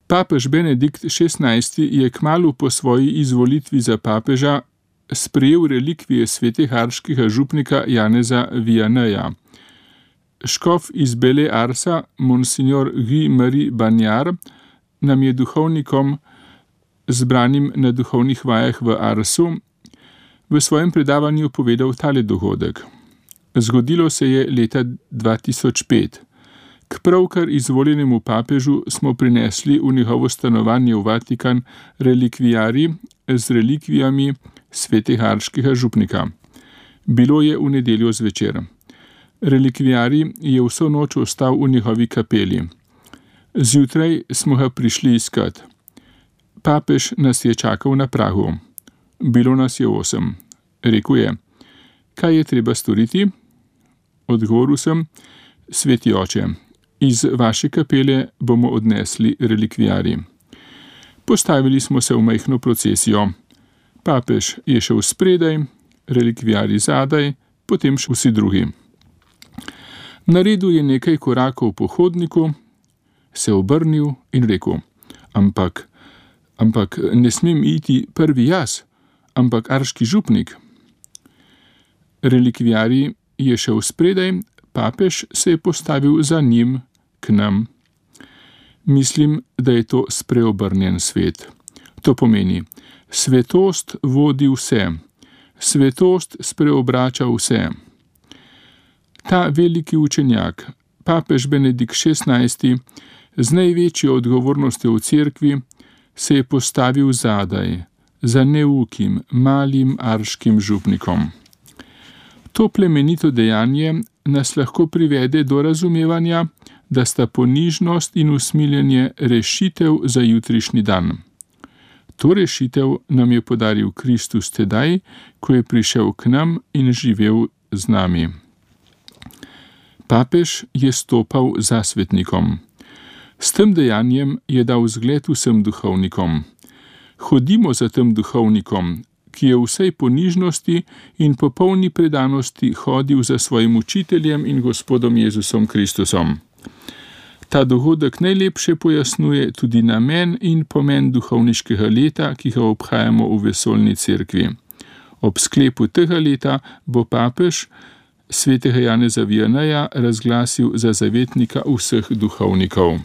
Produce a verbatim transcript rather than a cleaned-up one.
Papež Benedikt šestnajsti je kmalu po svoji izvolitvi za papeža sprejel relikvije svetega župnika Janeza Vianeja. Škof iz Bele Arsa, monsignor Guy-Marie Bagnard, nam je duhovnikom, zbranim na duhovnih vajah v Arsu, v svojem predavanju povedal tale dogodek. Zgodilo se je leta dva tisoč pet. K pravkar izvoljenemu papežu smo prinesli v njegovo stanovanje v Vatikan relikvijarij z relikvijami svetega župnika. Bilo je v nedeljo zvečer. Relikvijarij je vso noč ostal v njegovi kapeli. Zjutraj smo ga prišli iskat. Papež nas je čakal na pragu. Bilo nas je osem. Rekel je: kaj je treba storiti? Odgovoril sem: sveti oče, iz vaše kapele bomo odnesli relikvijarij. Postavili smo se v majhno procesijo. Papež je šel spredaj, relikvijarij zadaj, potem še vsi drugi. Naredil je nekaj korakov po hodniku, se obrnil in rekel: ampak, ampak ne smem iti prvi jaz, ampak arški župnik. Relikvijarij je šel spredaj, papež se je postavil za njim k nam. Mislim, da je to spreobrnjen svet. To pomeni, svetost vodi vse, svetost spreobrača vse. Ta veliki učenjak, papež Benedikt šestnajsti, z največjo odgovornostjo v cerkvi, se je postavil zadaj, za neukim, malim arškim župnikom. To plemenito dejanje nas lahko privede do razumevanja, da sta ponižnost in usmiljenje rešitev za jutrišnji dan. To rešitev nam je podaril Kristus tedaj, ko je prišel k nam in živel z nami. Papež je stopal za svetnikom. S tem dejanjem je dal zgled vsem duhovnikom. Hodimo za tem duhovnikom, ki je v vsej ponižnosti in popolni predanosti hodil za svojim učiteljem in Gospodom Jezusom Kristusom. Ta dogodek najlepše pojasnjuje tudi namen in pomen duhovniškega leta, ki ga obhajamo v vesoljni cerkvi. Ob sklepu tega leta bo papež svetega Janeza Vianeja razglasil za zavetnika vseh duhovnikov.